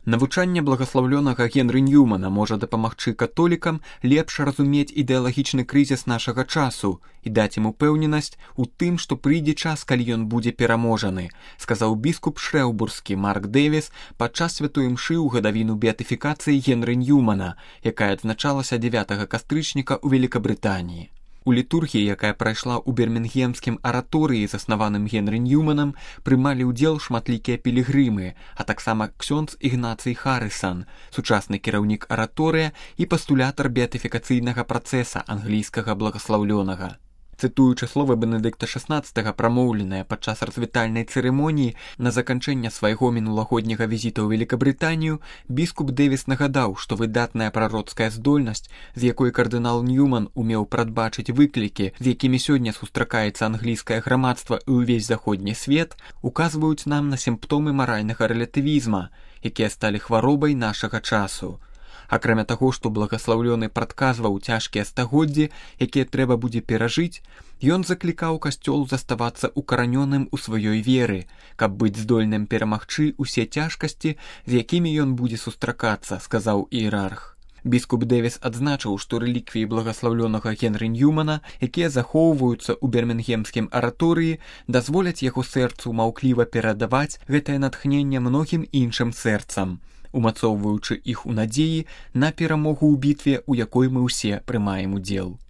Навучанне благаслаўлёнага Генры Ньюмана можа дапамагчы католікам лепш разумець ідэалагічны крызіс нашага часу і даць ім упэўненасць у тым, што прыйдзе час, калі ён будзе пераможаны, сказаў біскуп шрэўбурскі Марк Дэвіс падчас святой імшы ў гадавіну беатыфікацыі Генры Ньюмана, якая адзначалася 9 кастрычніка ў Великабрытаніі. У літургіі, якая прайшла ў бірмінгемскім араторыі, заснаваным Генры Ньюманам, прымалі ўдзел шматлікія пілігрымы, а таксама ксёндз Ігнацый Харрысан, сучасны кіраўнік араторыя і пастулятар беатыфікацыйнага працэса англійскага благаслаўлёнага. Цытуючы словы Бенедыкта XVI, прамоўленыя падчас развітальнай цырымоніі на заканчэнне свайго мінулагодняга візіта ў Великабрытанію, біскуп Дэвіс нагадаў, што выдатная прароцкая здольнасць, з якой кардынал Ньюман умеў прадбачыць выклікі, з якімі сёння сустракаецца англійскае грамадства і ўвесь заходні свет, указваюць нам на сімптомы маральнага рэлятывізма, якія сталі хваробай нашага часу. Акрамя таго, што благаслаўлёны прадказваў цяжкія стагоддзі, якія трэба будзе перажыць, ён заклікаў касцёл заставацца укаранёным у сваёй веры, каб быць здольным перамагчы ўсе цяжкасці, з якімі ён будзе сустракацца, сказаў іерарх. Біскуп Дэвіс адзначыў, што рэліквіі благаслаўлёнага Генры Ньюмана, якія захоўваюцца ў бірмінгемскім араторыі, дазволяць яго сэрцу маўкліва перадаваць гэтае натхненне многім іншым сэрцам, умацоўваючы іх у надзеі на перамогу ў бітве, у якой мы ўсе прымаем удзел.